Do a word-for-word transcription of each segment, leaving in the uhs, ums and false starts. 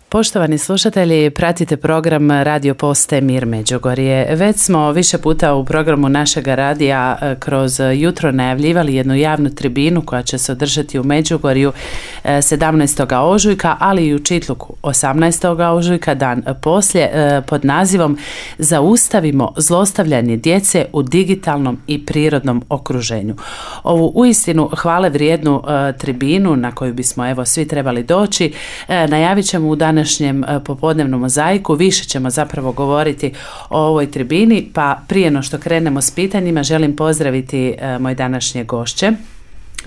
Poštovani slušatelji, pratite program Radio Postaje Mir Međugorje. Već smo više puta u programu našega radija kroz jutro najavljivali jednu javnu tribinu koja će se održati u Međugorju sedamnaestog ožujka, ali i u Čitluku osamnaestog ožujka, dan poslije, pod nazivom Zaustavimo zlostavljanje djece u digitalnom i prirodnom okruženju. Ovu uistinu hvale vrijednu tribinu na koju bismo evo svi trebali doći najavit ćemo u dan današnjem popodnevnom mozaiku. Više ćemo zapravo govoriti o ovoj tribini, pa prije no što krenemo s pitanjima želim pozdraviti moje današnje gošće.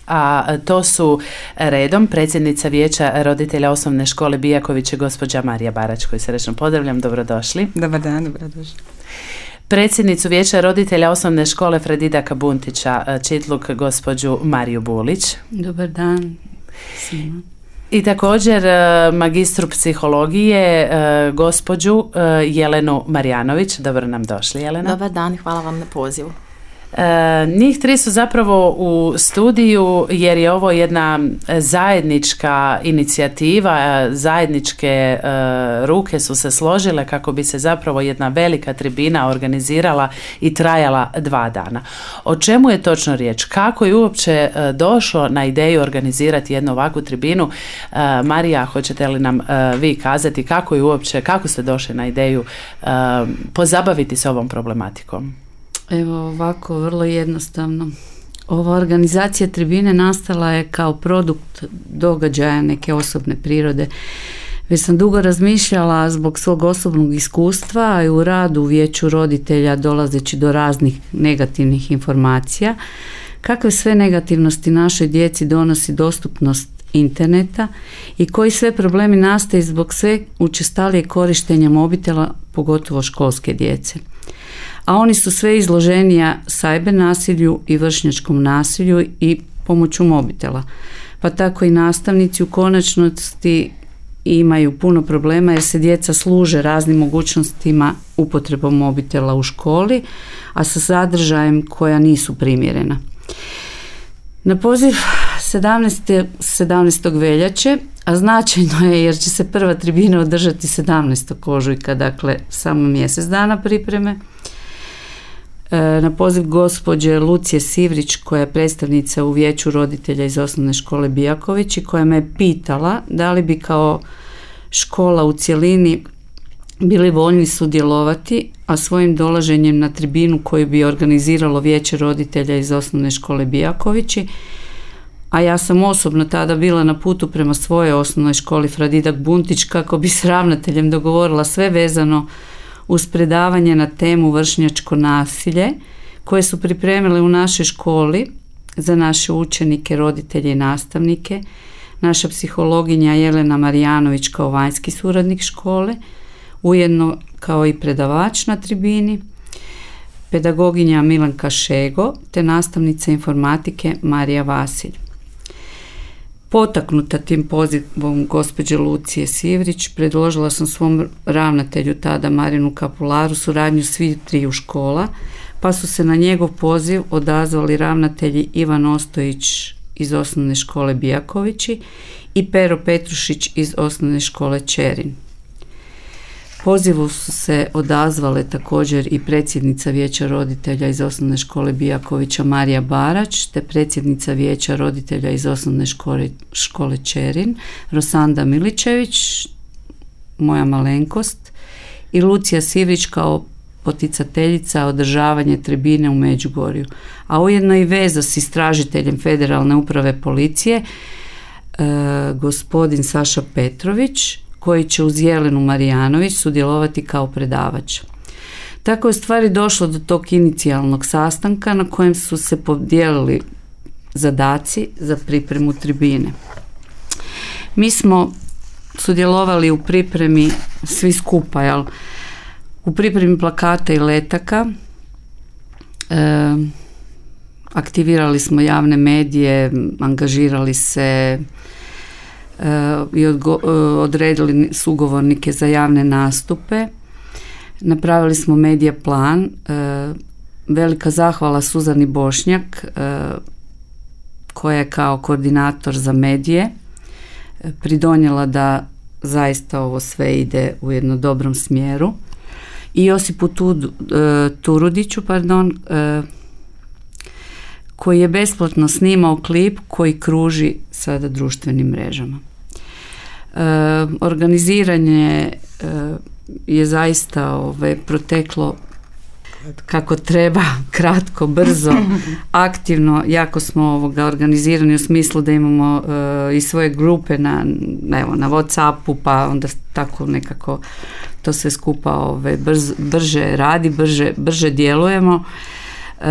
A to su redom predsjednica Vijeća roditelja osnovne škole Bijaković, gospođa Marija Barać, koju srećno pozdravljam, dobrodošli. Dobar dan, dobrodošli. Predsjednicu Vijeća roditelja osnovne škole Fredidaka Buntića, Čitluk, gospođu Mariju Bulić. Dobar dan svima. I također magistru psihologije, gospođu Jelenu Marjanović. Dobro nam došli, Jelena. Dobar dan, hvala vam na pozivu. E, njih tri su zapravo u studiju jer je ovo jedna zajednička inicijativa, zajedničke e, ruke su se složile kako bi se zapravo jedna velika tribina organizirala i trajala dva dana. O čemu je točno riječ? Kako je uopće e, došlo na ideju organizirati jednu ovakvu tribinu? E, Marija, hoćete li nam e, vi kazati kako je uopće, kako ste došli na ideju e, pozabaviti se ovom problematikom? Evo ovako, vrlo jednostavno. Ova organizacija tribine nastala je kao produkt događaja neke osobne prirode. Već sam dugo razmišljala zbog svog osobnog iskustva i u radu u Vijeću roditelja dolazeći do raznih negativnih informacija. Kakve sve negativnosti našoj djeci donosi dostupnost interneta i koji sve problemi nastaju zbog sve učestalijeg korištenja mobitela, pogotovo školske djece. A oni su sve izloženija cyber nasilju i vršnjačkom nasilju i pomoću mobitela. Pa tako i nastavnici u konačnosti imaju puno problema jer se djeca služe raznim mogućnostima upotrebom mobitela u školi, a sa sadržajem koja nisu primjerena. Na poziv sedamnaestog veljače, a značajno je jer će se prva tribina održati sedamnaestog ožujka, dakle samo mjesec dana pripreme, na poziv gospođe Lucije Sivrić, koja je predstavnica u Vijeću roditelja iz osnovne škole Bijaković i koja me je pitala da li bi kao škola u cjelini bili voljni sudjelovati, a svojim dolaženjem na tribinu koju bi organiziralo Vijeće roditelja iz osnovne škole Bijakovići, a ja sam osobno tada bila na putu prema svojoj osnovnoj školi Fredidak Buntić kako bi s ravnateljem dogovorila sve vezano uz predavanje na temu vršnjačko nasilje koje su pripremile u našoj školi za naše učenike, roditelje i nastavnike, naša psihologinja Jelena Marjanović kao vanjski suradnik škole, ujedno kao i predavač na tribini, pedagoginja Milanka Šego te nastavnica informatike Marija Vasilj. Potaknuta tim pozivom gospođe Lucije Sivrić, predložila sam svom ravnatelju tada Marinu Kapularu suradnju svih triju škola, pa su se na njegov poziv odazvali ravnatelji Ivan Ostojić iz osnovne škole Bijakovići i Pero Petrušić iz osnovne škole Čerin. Pozivu su se odazvale također i predsjednica Vijeća roditelja iz osnovne škole Bijakovića Marija Barać te predsjednica Vijeća roditelja iz osnovne škole, škole Čerin Rosanda Miličević, moja malenkost, i Lucija Sivrić kao poticateljica održavanje tribine u Međugorju, a ujedno i veza s istražiteljem Federalne uprave policije e, gospodin Saša Petrović, koji će uz Jelenu Marijanović sudjelovati kao predavač. Tako je stvari došlo do tog inicijalnog sastanka na kojem su se podijelili zadaci za pripremu tribine. Mi smo sudjelovali u pripremi svi skupa, jel? U pripremi plakata i letaka, e, aktivirali smo javne medije, angažirali se i odredili sugovornike za javne nastupe. Napravili smo medija plan. Velika zahvala Suzani Bošnjak koja je kao koordinator za medije pridonijela da zaista ovo sve ide u jednom dobrom smjeru. I Josipu Turudiću, pardon, koji je besplatno snimao klip koji kruži sada društvenim mrežama. Organiziranje je zaista ovaj, proteklo kako treba, kratko, brzo, aktivno. Jako smo ovoga organizirani u smislu da imamo uh, i svoje grupe na, evo, na WhatsAppu, pa onda tako nekako to sve skupa ovaj, brz, brže radi, brže, brže djelujemo. Uh,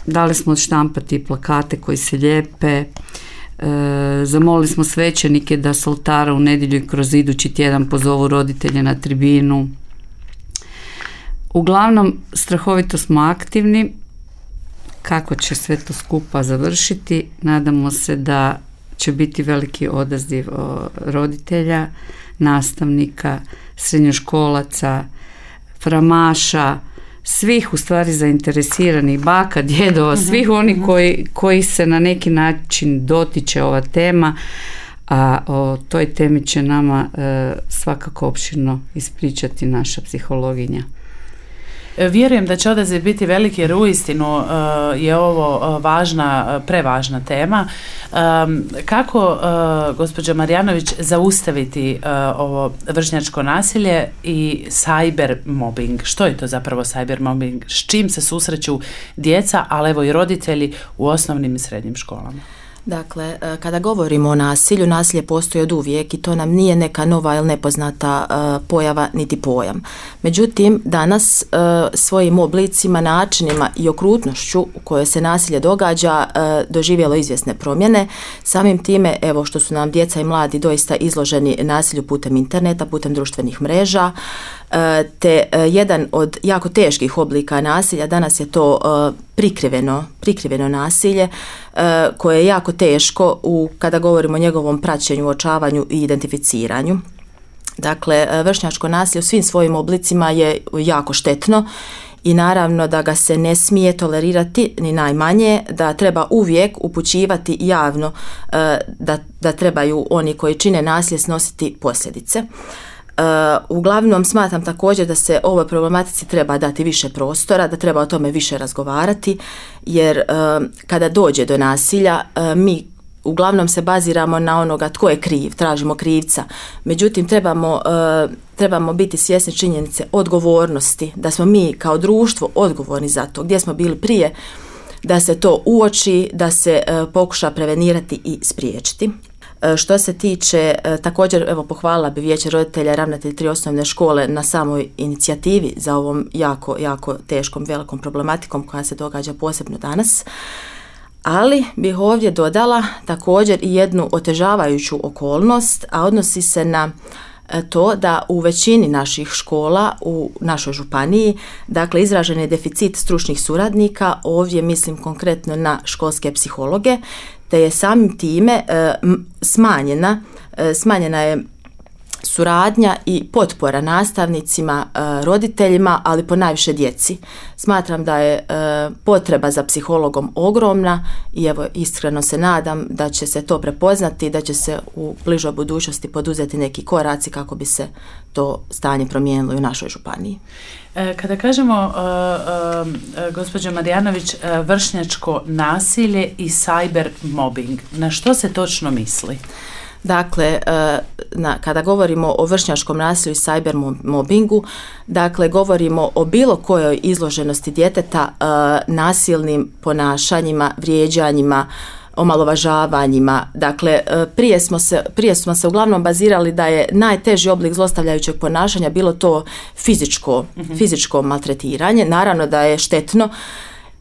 dali smo odštampati plakate koji se lijepe. Uh, zamolili smo svećenike da s oltara u nedjelju i kroz idući tjedan pozovu roditelje na tribinu. Uglavnom, strahovito smo aktivni. Kako će sve to skupa završiti? Nadamo se da će biti veliki odaziv roditelja, nastavnika, srednjoškolaca, framaša, svih u stvari zainteresiranih, baka, djedova, svih oni koji, koji se na neki način dotiče ova tema, a o toj temi će nama e, svakako opširno ispričati naša psihologinja. Vjerujem da će odaziv biti veliki jer uistinu uh, je ovo uh, važna, uh, prevažna tema. Um, kako, uh, gospođa Marjanović, zaustaviti uh, ovo vršnjačko nasilje i cyber mobbing? Što je to zapravo cyber mobbing? S čim se susreću djeca, ali evo i roditelji u osnovnim i srednjim školama? Dakle, kada govorimo o nasilju, nasilje postoji od uvijek i to nam nije neka nova ili nepoznata uh, pojava niti pojam. Međutim, danas uh, svojim oblicima, načinima i okrutnošću u kojoj se nasilje događa uh, doživjelo izvjesne promjene. Samim time, evo što su nam djeca i mladi doista izloženi nasilju putem interneta, putem društvenih mreža, uh, te uh, jedan od jako teških oblika nasilja danas je to uh, prikriveno, prikriveno nasilje uh, koje je jako teško u, kada govorimo o njegovom praćenju, uočavanju i identificiranju. Dakle, vršnjačko nasilje u svim svojim oblicima je jako štetno i naravno da ga se ne smije tolerirati ni najmanje, da treba uvijek upućivati javno uh, da, da trebaju oni koji čine nasilje snositi posljedice. Uh, uglavnom smatram također da se ovoj problematici treba dati više prostora, da treba o tome više razgovarati, jer uh, kada dođe do nasilja uh, mi uglavnom se baziramo na onoga tko je kriv, tražimo krivca. Međutim, trebamo, uh, trebamo biti svjesni činjenice odgovornosti, da smo mi kao društvo odgovorni za to, gdje smo bili prije, da se to uoči, da se uh, pokuša prevenirati i spriječiti. Što se tiče, također, evo, pohvalila bi Vijeće roditelja i ravnatelj tri osnovne škole na samoj inicijativi za ovom jako, jako teškom, velikom problematikom koja se događa posebno danas. Ali bih ovdje dodala također i jednu otežavajuću okolnost, a odnosi se na to da u većini naših škola u našoj županiji, dakle, izražen je deficit stručnih suradnika, ovdje mislim konkretno na školske psihologe, te je samim time e, smanjena, e, smanjena je suradnja i potpora nastavnicima, e, roditeljima, ali ponajviše djeci. Smatram da je e, potreba za psihologom ogromna i evo iskreno se nadam da će se to prepoznati, da će se u bližoj budućnosti poduzeti neki koraci kako bi se to stanje promijenilo i u našoj županiji. Kada kažemo, uh, uh, gospođo Marjanović, uh, vršnjačko nasilje i cyber mobbing, na što se točno misli? Dakle, na, kada govorimo o vršnjačkom nasilju i cyber mobbingu, dakle, govorimo o bilo kojoj izloženosti djeteta uh, nasilnim ponašanjima, vrijeđanjima, omalovažavanjima. Dakle, prije smo se, prije smo se uglavnom bazirali da je najteži oblik zlostavljajućeg ponašanja bilo to fizičko, mm-hmm. fizičko maltretiranje. Naravno da je štetno.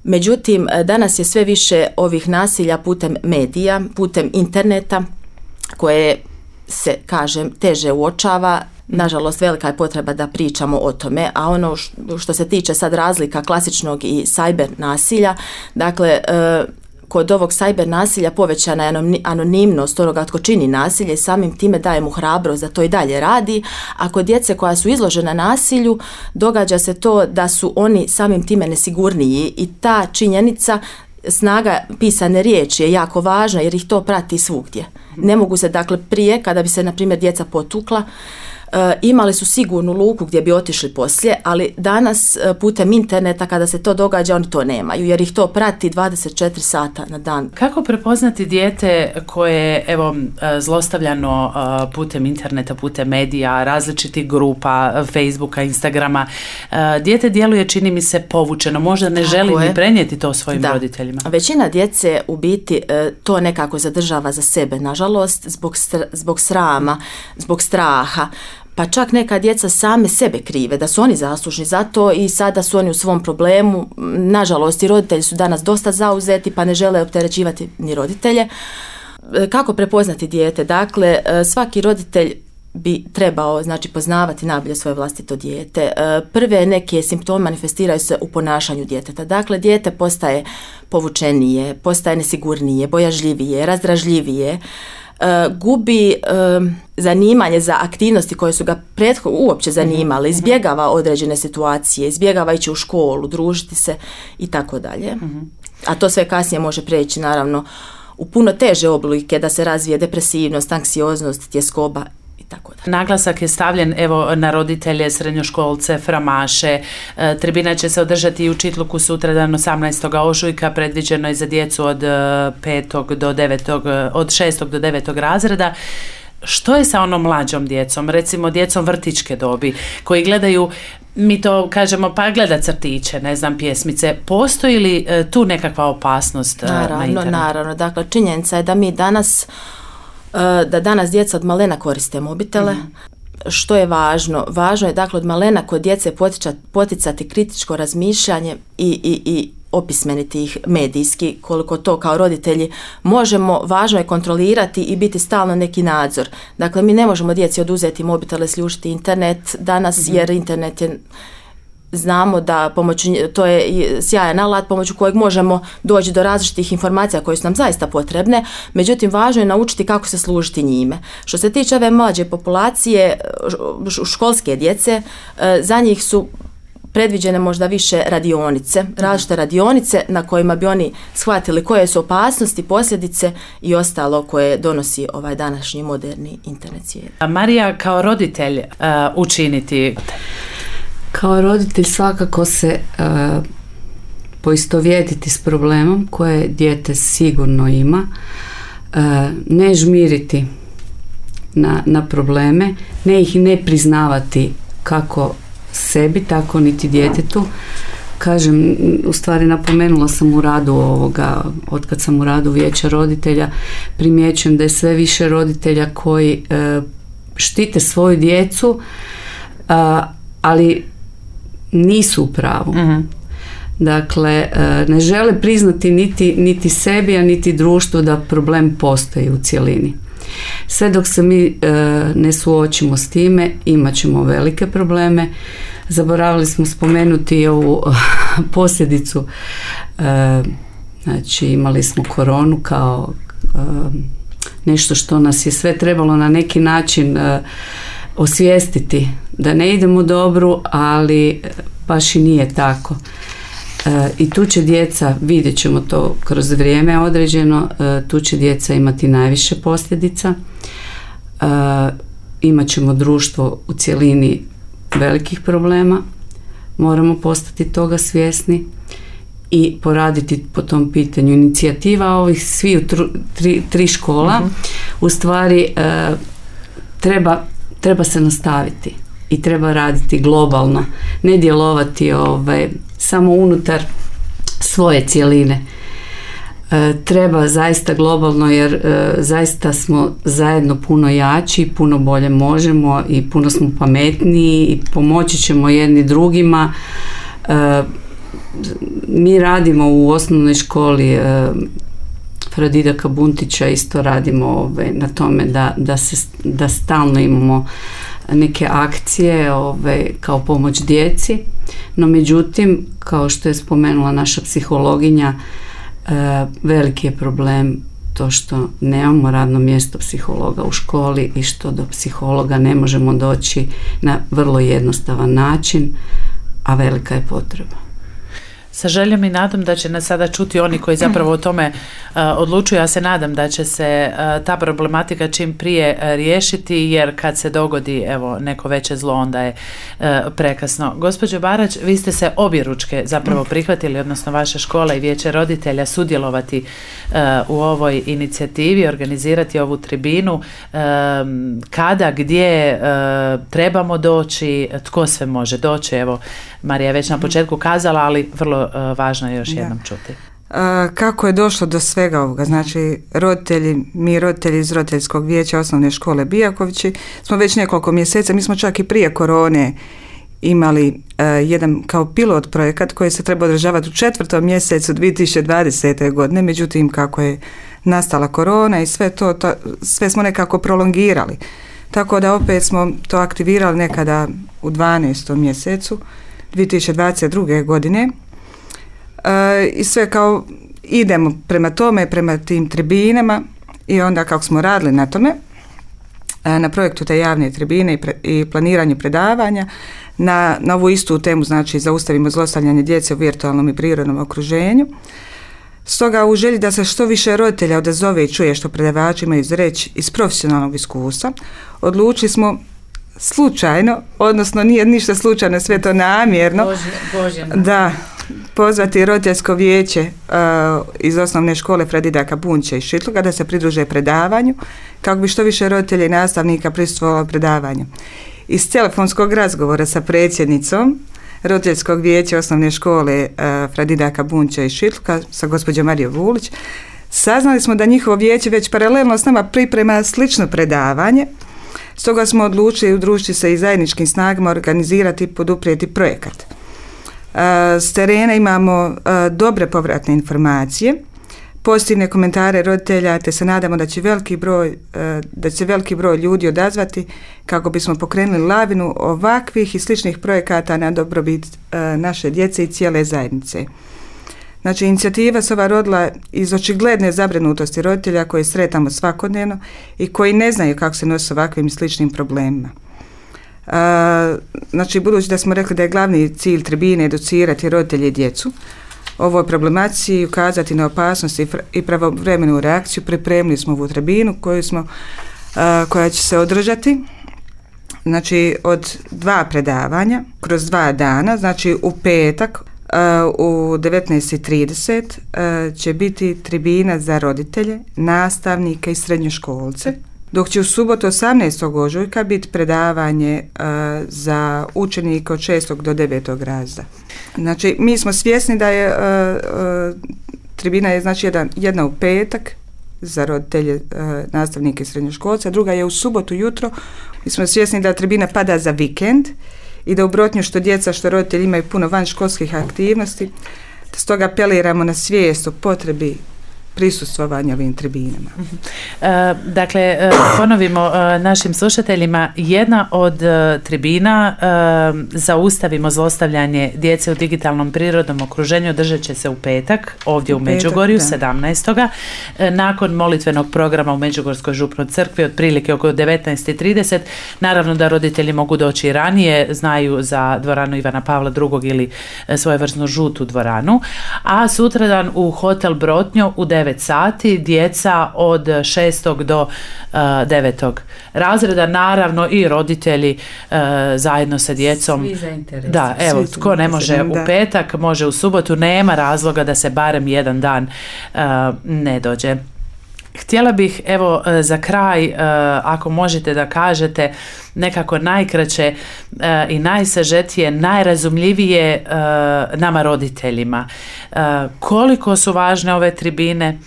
Međutim, danas je sve više ovih nasilja putem medija, putem interneta, koje se, kažem, teže uočava. Nažalost, velika je potreba da pričamo o tome, a ono što se tiče sad razlika klasičnog i cyber nasilja, dakle, kod ovog cyber nasilja povećana je anonimnost onoga tko čini nasilje i samim time daje mu hrabrost da to i dalje radi, a kod djece koja su izložena nasilju događa se to da su oni samim time nesigurniji i ta činjenica snaga pisane riječi je jako važna jer ih to prati svugdje. Ne mogu se, dakle, prije, kada bi se, na primjer, djeca potukla, E, imali su sigurnu luku gdje bi otišli poslije, ali danas e, putem interneta kada se to događa oni to nemaju jer ih to prati dvadeset četiri sata na dan. Kako prepoznati dijete koje je evo zlostavljano putem interneta, putem medija, različitih grupa, Facebooka, Instagrama? Dijete djeluje, čini mi se, povučeno, možda ne želi ni prenijeti to svojim da. roditeljima. Većina djece u biti to nekako zadržava za sebe, nažalost, zbog, str- zbog srama, zbog straha. Pa čak neka djeca same sebe krive, da su oni zaslužni za to i sada su oni u svom problemu. Nažalost, i roditelji su danas dosta zauzeti pa ne žele opterećivati ni roditelje. Kako prepoznati dijete? Dakle, svaki roditelj bi trebao, znači, poznavati najbolje svoje vlastito dijete. Prve neke simptome manifestiraju se u ponašanju djeteta. Dakle, dijete postaje povučenije, postaje nesigurnije, bojažljivije, razdražljivije, Uh, gubi uh, zanimanje za aktivnosti koje su ga prethodno uopće zanimale, izbjegava određene situacije, izbjegava ići u školu, družiti se i tako dalje. A to sve kasnije može preći, naravno, u puno teže oblike, da se razvije depresivnost, anksioznost, tjeskoba i tako dalje. Naglasak je stavljen evo na roditelje, srednjoškolce, framaše. E, tribina će se održati i u Čitluku sutradan osamnaestog ožujka, predviđeno je za djecu od petog do devetog, od šestog do devetog razreda. Što je sa onom mlađom djecom, recimo djecom vrtićke dobi, koji gledaju, mi to kažemo, pa gleda crtiće, ne znam, pjesmice. Postoji li e, tu nekakva opasnost naravno, na internetu? Naravno, dakle, činjenica je da mi danas da danas djeca od malena koriste mobitele. Mm. Što je važno? Važno je, dakle, od malena kod djece poticati, poticati kritičko razmišljanje i, i, i opismeniti ih medijski, koliko to kao roditelji možemo. Važno je kontrolirati i biti stalno neki nadzor. Dakle, mi ne možemo djeci oduzeti mobitele, sljušiti internet danas, mm-hmm. jer internet je, znamo da pomoću, to je sjajan alat pomoću kojeg možemo doći do različitih informacija koje su nam zaista potrebne, međutim važno je naučiti kako se služiti njime. Što se tiče ove mlađe populacije, školske djece, za njih su predviđene možda više radionice, različite radionice na kojima bi oni shvatili koje su opasnosti, posljedice i ostalo koje donosi ovaj današnji moderni internet svijet. A Marija, kao roditelj uh, učiniti? Kao roditelj svakako se uh, poistovjetiti s problemom koje dijete sigurno ima, uh, ne žmiriti na, na probleme, ne ih ne priznavati kako sebi, tako niti djetetu. Kažem, u stvari napomenula sam u radu ovoga, otkad sam u radu vijeća roditelja, primjećujem da je sve više roditelja koji uh, štite svoju djecu, uh, ali nisu u pravu. Uh-huh. Dakle, ne žele priznati niti, niti sebi, a niti društvu da problem postoji u cjelini. Sve dok se mi ne suočimo s time, imat ćemo velike probleme. Zaboravili smo spomenuti ovu posljedicu. Znači, imali smo koronu kao nešto što nas je sve trebalo na neki način osvijestiti da ne idemo dobru, ali baš i nije tako. E, I tu će djeca, vidjet ćemo to kroz vrijeme određeno, e, tu će djeca imati najviše posljedica. E, imat ćemo društvo u cjelini velikih problema, moramo postati toga svjesni i poraditi po tom pitanju. Inicijativa ovih svih tri, tri škola uh-huh. u stvari e, treba treba se nastaviti i treba raditi globalno, ne djelovati ovaj, samo unutar svoje cjeline. E, treba zaista globalno, jer e, zaista smo zajedno puno jači, puno bolje možemo i puno smo pametniji i pomoći ćemo jedni drugima. E, mi radimo u osnovnoj školi e, Fradidaka Buntića, isto radimo ove, na tome da, da, se, da stalno imamo neke akcije ove, kao pomoć djeci, no međutim, kao što je spomenula naša psihologinja, e, veliki je problem to što nemamo radno mjesto psihologa u školi i što do psihologa ne možemo doći na vrlo jednostavan način, a velika je potreba. Sa željom i nadom da će nas sada čuti oni koji zapravo o tome uh, odlučuju. Ja se nadam da će se uh, ta problematika čim prije uh, riješiti, jer kad se dogodi evo neko veće zlo, onda je uh, prekasno. Gospođo Barać, vi ste se objeručke zapravo prihvatili, odnosno vaša škola i vijeće roditelja sudjelovati uh, u ovoj inicijativi, organizirati ovu tribinu. Uh, kada, gdje uh, trebamo doći, tko sve može doći? Evo, Marija je već na početku kazala, ali vrlo uh, važno je još da. jednom čuti. Uh, kako je došlo do svega ovoga? Znači, roditelji, mi roditelji iz roditeljskog vijeća osnovne škole Bijakovići smo već nekoliko mjeseca, mi smo čak i prije korone imali uh, jedan kao pilot projekat koji se treba održavati u četvrtom mjesecu dvije tisuće dvadesete. godine, međutim kako je nastala korona i sve to, to sve smo nekako prolongirali. Tako da opet smo to aktivirali nekada u dvanaestom mjesecu dvije tisuće dvadeset druge. godine e, i sve kao idemo prema tome, prema tim tribinama i onda kako smo radili na tome, e, na projektu te javne tribine i, pre, i planiranju predavanja, na, na ovu istu temu, znači zaustavimo zlostavljanje djece u virtualnom i prirodnom okruženju. Stoga u želji da se što više roditelja odazove i čuje što predavači imaju reći iz profesionalnog iskustva, odlučili smo slučajno, odnosno nije ništa slučajno, sve to namjerno, Bože, Bože, da pozvati roditeljsko vijeće uh, iz osnovne škole Fra Didaka Bunjća iz Šitluga da se pridruže predavanju, kako bi što više roditelja i nastavnika prisustvovalo predavanju. Iz telefonskog razgovora sa predsjednicom roditeljskog vijeća osnovne škole uh, Fra Didaka Bunjća iz Šitluga sa gospođom Marijom Vulić, saznali smo da njihovo vijeće već paralelno s nama priprema slično predavanje. Stoga smo odlučili udružiti se i zajedničkim snagama organizirati i poduprijeti projekat. Uh, s terena imamo uh, dobre povratne informacije, pozitivne komentare roditelja, te se nadamo da će veliki broj, uh, da će veliki broj ljudi odazvati kako bismo pokrenuli lavinu ovakvih i sličnih projekata na dobrobit uh, naše djece i cijele zajednice. Znači, inicijativa se ova rodila iz očigledne zabrinutosti roditelja koje sretamo svakodnevno i koji ne znaju kako se nosi s ovakvim i sličnim problemima. Uh, znači, budući da smo rekli da je glavni cilj tribine educirati roditelje i djecu o ovoj problematici i ukazati na opasnost i, i pravovremenu reakciju, pripremili smo ovu tribinu koju smo, uh, koja će se održati znači, od dva predavanja kroz dva dana, znači u petak Uh, u devetnaest i trideset uh, će biti tribina za roditelje, nastavnike i srednjoškolce, dok će u subotu osamnaestog ožujka biti predavanje uh, za učenike od šestog do devetog razreda. Znači, mi smo svjesni da je uh, uh, tribina je znači jedan, jedna u petak za roditelje, uh, nastavnike i srednjoškolce, a druga je u subotu jutro. Mi smo svjesni da tribina pada za vikend i da u Brotnju što djeca, što roditelji imaju puno vanškolskih aktivnosti, stoga apeliramo na svijest o potrebi prisustvovanja ovim tribinama. E, dakle, ponovimo e, našim slušateljima, jedna od e, tribina e, Zaustavimo zlostavljanje djece u digitalnom prirodnom okruženju održat će se u petak, ovdje u, u Međugorju, sedamnaestog E, nakon molitvenog programa u Međugorskoj župnoj crkvi, otprilike oko devetnaest i trideset. Naravno da roditelji mogu doći i ranije, znaju za dvoranu Ivana Pavla drugog ili e, svojevrsnu žutu dvoranu, a sutradan u hotel Brotnjo u devet sati, djeca od šestog do uh, devetog razreda, naravno i roditelji uh, zajedno sa djecom. Svi zainteresirani. Da, evo, tko ne može u petak, može u subotu, nema razloga da se barem jedan dan uh, ne dođe. Htjela bih, evo, za kraj, ako možete da kažete nekako najkraće i najsažetije, najrazumljivije nama roditeljima. Koliko su važne ove tribine,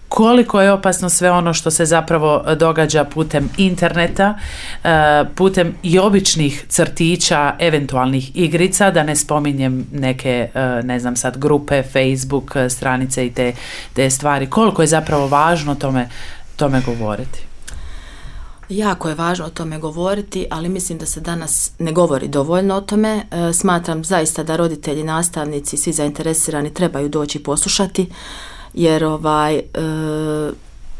koliko je opasno sve ono što se zapravo događa putem interneta, putem i običnih crtića, eventualnih igrica, da ne spominjem neke, ne znam sad, grupe, Facebook, stranice i te, te stvari. Koliko je zapravo važno tome, tome govoriti? Jako je važno o tome govoriti, ali mislim da se danas ne govori dovoljno o tome. E, smatram zaista da roditelji, nastavnici, svi zainteresirani trebaju doći poslušati, jer ovaj, e,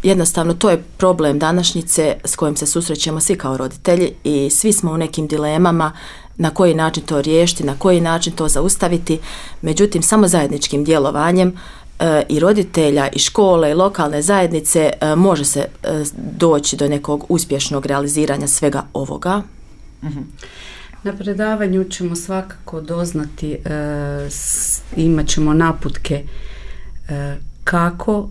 jednostavno to je problem današnjice s kojim se susrećemo svi kao roditelji i svi smo u nekim dilemama na koji način to riješiti, na koji način to zaustaviti. Međutim, samo zajedničkim djelovanjem e, i roditelja i škole i lokalne zajednice e, može se e, doći do nekog uspješnog realiziranja svega ovoga. Mm-hmm. Na predavanju ćemo svakako doznati, e, s, imat ćemo naputke e, kako,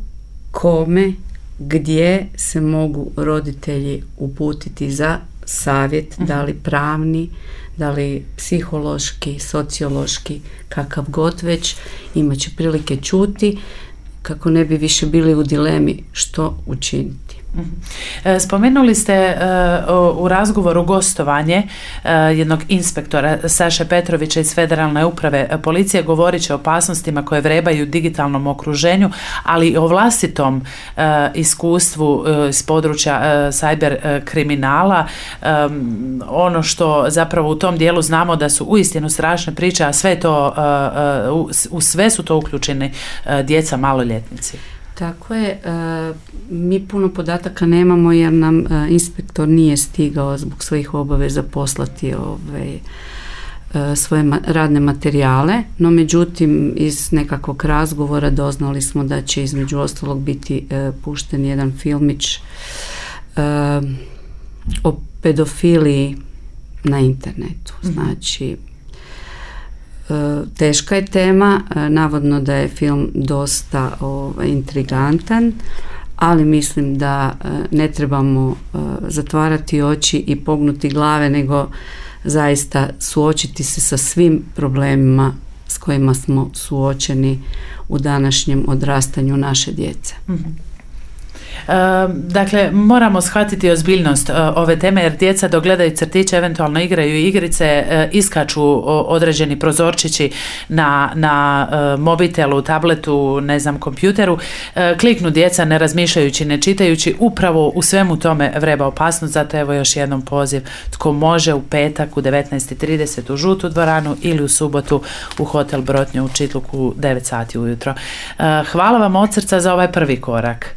kome, gdje se mogu roditelji uputiti za savjet, uh-huh. da li pravni, da li psihološki, sociološki, kakav god već, imat će prilike čuti kako ne bi više bili u dilemi što učiniti. Spomenuli ste uh, u razgovoru gostovanje uh, jednog inspektora Saše Petrovića iz Federalne uprave policije, govorit će o opasnostima koje vrebaju u digitalnom okruženju, ali i o vlastitom uh, iskustvu uh, iz područja uh, cyber uh, kriminala. Um, ono što zapravo u tom dijelu znamo da su uistinu strašne priče, a sve to, uh, uh, u, u sve su to uključeni uh, djeca maloljetnici. Tako je, mi puno podataka nemamo jer nam inspektor nije stigao zbog svojih obaveza poslati ove, svoje radne materijale, no međutim iz nekakvog razgovora doznali smo da će između ostalog biti pušten jedan filmić o pedofiliji na internetu. Znači, teška je tema, navodno da je film dosta ovaj, intrigantan, ali mislim da ne trebamo zatvarati oči i pognuti glave, nego zaista suočiti se sa svim problemima s kojima smo suočeni u današnjem odrastanju naše djece. Mm-hmm. Dakle, moramo shvatiti ozbiljnost ove teme jer djeca dok gledaju crtiće, eventualno igraju igrice, iskaču određeni prozorčići na, na mobitelu, tabletu, ne znam, kompjuteru, kliknu djeca ne razmišljajući, ne čitajući, upravo u svemu tome vreba opasnost. Zato evo još jednom poziv, tko može u petak u devetnaest i trideset u Žutu dvoranu ili u subotu u Hotel Brotnju u Čitluku u devet sati ujutro. Hvala vam od srca za ovaj prvi korak.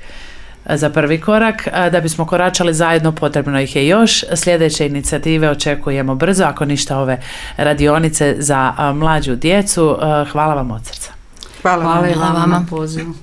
Za prvi korak, da bismo koračali zajedno potrebno ih je još. Sljedeće inicijative očekujemo brzo, ako ništa ove radionice za mlađu djecu. Hvala vam od srca. Hvala, Hvala vam. Hvala vam na pozivu.